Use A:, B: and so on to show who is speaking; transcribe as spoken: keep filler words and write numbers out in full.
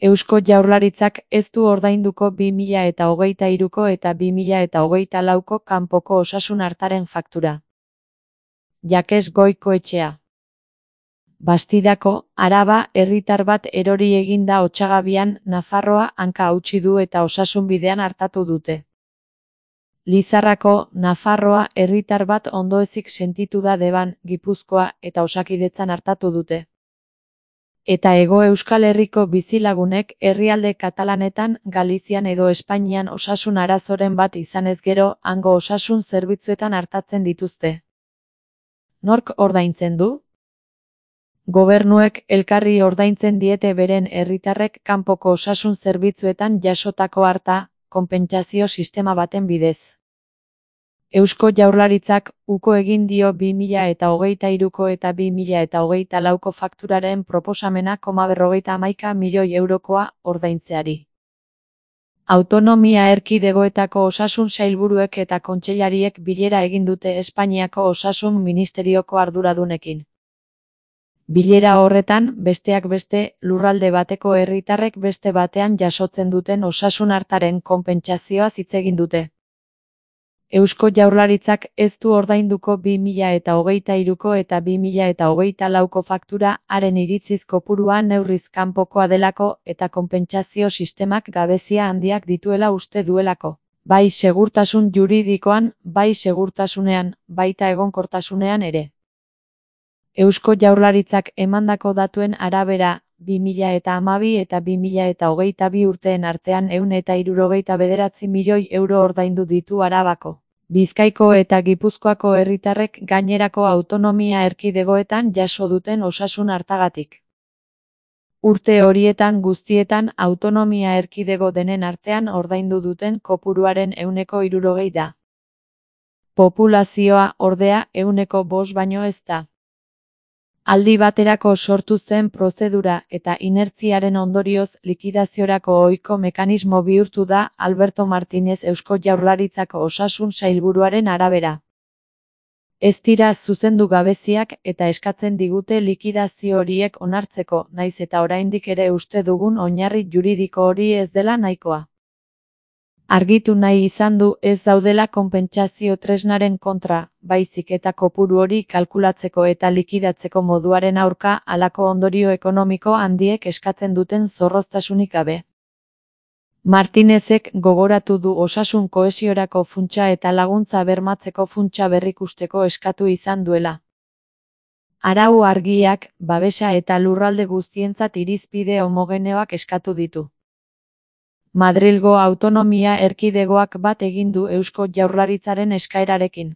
A: Eusko Jaurlaritzak ez du ordainduko bi mila eta hogeita hiruko eta bi mila eta hogeita lauko kanpoko osasun artaren faktura. Jakes Goikoetxea. Bastidako, Araba, herritar bat erori egin da Otsagabian, Nafarroa hanka hautsi du eta osasunbidean artatu dute. Lizarrako, Nafarroa, herritar bat ondoezik sentitu da Deban, Gipuzkoa eta Osakidetzan artatu dute. Eta Hego Euskal Herriko bizilagunek herrialde katalanetan, Galizian edo Espainian osasun arazoren bat izanez gero, hango osasun zerbitzuetan artatzen dituzte. Nork ordaintzen du? Gobernuek elkarri ordaintzen diete beren herritarrek kanpoko osasun zerbitzuetan jasotako arta, konpentsazio sistema baten bidez. Eusko Jaurlaritzak uko egin dio bi mila eta hogeita hiruko eta bi mila eta hogeita lauko fakturaren proposamena koma berrogeita hamaika milioi eurokoa ordaintzeari. Autonomia erkidegoetako osasun sailburuek eta kontseilariek bilera egin dute Espainiako Osasun Ministerioko arduradunekin. Bilera horretan, besteak beste, lurralde bateko herritarrek beste batean jasotzen duten osasun artaren konpentsazioaz hitz egin dute. Eusko Jaurlaritzak ez du ordainduko bi mila eta hogeita hiruko eta bi mila eta hogeita lauko faktura haren iritziz kopurua neurriz kanpokoa delako eta konpentsazio sistemak gabezia handiak dituela uste duelako. Bai segurtasun juridikoan, bai segurtasunean, baita egonkortasunean ere. Eusko Jaurlaritzak emandako datuen arabera, bi mila eta hamabi eta bi mila eta hogeita bi urteen artean ehun eta hirurogeita bederatzi milioi euro ordaindu ditu Arabako, Bizkaiko eta Gipuzkoako herritarrek gainerako autonomia erkidegoetan jaso duten osasun artagatik. Urte horietan guztietan autonomia erkidego denen artean ordaindu duten kopuruaren ehuneko hirurogei da. Populazioa, ordea, ehuneko bost baino ez da. Aldi baterako sortu zen prozedura eta inertziaren ondorioz likidaziorako ohiko mekanismo bihurtu da Alberto Martínez Eusko Jaurlaritzako osasun sailburuaren arabera. Ez dira zuzendu gabeziak eta eskatzen digute likidazio horiek onartzeko, naiz eta oraindik ere uste dugun oinarri juridiko hori ez dela nahikoa. Argitu nahi izan du ez daudela konpentsazio tresnaren kontra, baizik eta kopuru hori kalkulatzeko eta likidatzeko moduaren aurka halako ondorio ekonomiko handiek eskatzen duten zorroztasunik gabe. Martinezek gogoratu du osasun kohesiorako funtsa eta laguntza bermatzeko funtsa berrikusteko eskatu izan duela. Arau argiak, babesa eta lurralde guztientzat irizpide homogeneoak eskatu ditu. Madrilgo autonomia erkidegoak bat egin du Eusko Jaurlaritzaren eskaerarekin.